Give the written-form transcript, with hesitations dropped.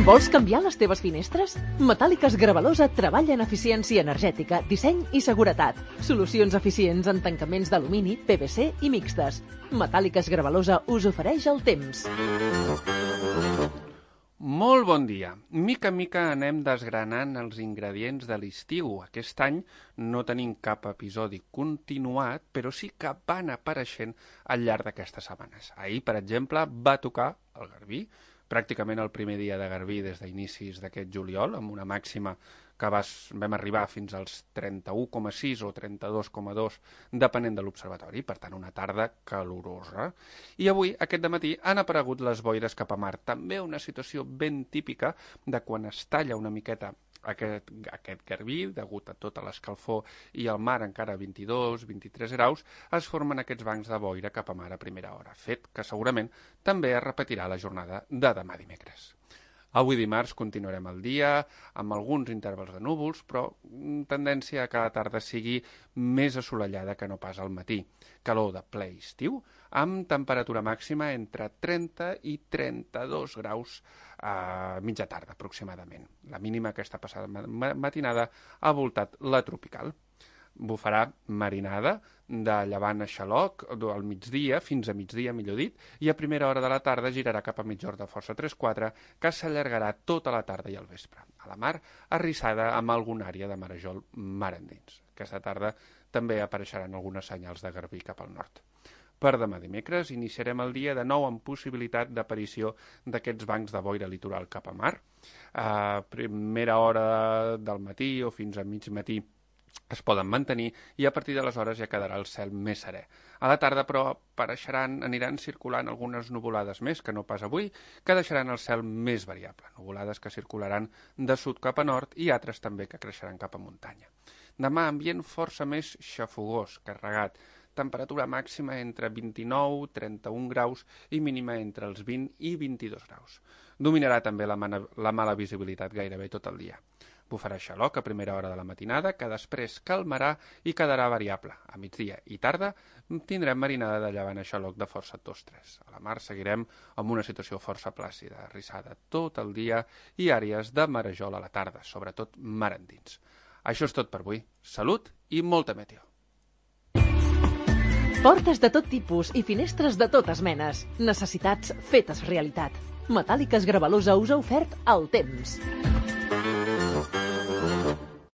Vols canviar les teves finestres? Metàl·liques Gravalosa treballa en eficiència energètica, disseny i seguretat. Solucions eficients en tancaments d'alumini, PVC i mixtes. Metàl·liques Gravalosa us ofereix el temps. Molt bon dia. Mica en mica anem desgranant els ingredients de l'estiu. Aquest any no tenim cap episodi continuat, però sí que van apareixent al llarg d'aquestes setmanes. Ahir, per exemple, va tocar el garbí, pràcticament el primer dia de garbí des d'inicis d'aquest juliol, amb una màxima que vam arribar fins als 31,6 o 32,2, depenent de l'observatori, per tant una tarda calorosa. I avui, aquest dematí, han aparegut les boires cap a mar. També una situació ben típica de quan es talla una miqueta aquest garbí, degut a tota l'escalfor i el mar encara a 22-23 graus, es formen aquests bancs de boira cap a mar a primera hora, fet que segurament també es repetirà la jornada de demà dimecres. Avui dimarts continuarem el dia amb alguns intervals de núvols, però tendència a que la tarda sigui més assolellada que no pas al matí. Calor de ple estiu, amb temperatura màxima entre 30 i 32 graus a mitja tarda aproximadament. La mínima aquesta passada matinada ha voltat la tropical. Bufarà marinada de llevant a xaloc al migdia, fins a migdia, millor dit, i a primera hora de la tarda girarà cap a migjorn de força 3-4, que s'allargarà tota la tarda i al vespre. A la mar, arrissada amb alguna àrea de marejol mar endins. Aquesta tarda també apareixeran algunes senyals de garbí cap al nord. Per demà dimecres iniciarem el dia de nou amb possibilitat d'aparició d'aquests bancs de boira litoral cap a mar. A primera hora del matí o fins a mig matí es poden mantenir i a partir d'aleshores ja quedarà el cel més serè. A la tarda, però, aniran circulant algunes nuvolades més, que no pas avui, que deixaran el cel més variable. Nuvolades que circularan de sud cap a nord i altres també que creixeran cap a muntanya. Demà, ambient força més xafogós, carregat. Temperatura màxima entre 29-31 graus i mínima entre els 20 i 22 graus. Dominarà també la mala visibilitat gairebé tot el dia. Bufarà xaloc a primera hora de la matinada, que després calmarà i quedarà variable. A migdia i tarda tindrem marinada de llevant a xaloc de força 2-3. A la mar seguirem amb una situació força plàcida, arrissada tot el dia i àrees de marejol a la tarda, sobretot mar endins. Això és tot per avui. Salut i molta meteo. Portes de tot tipus i finestres de totes menes. Necessitats fetes realitat. Metàl·liques Gravalosa us ha ofert el temps.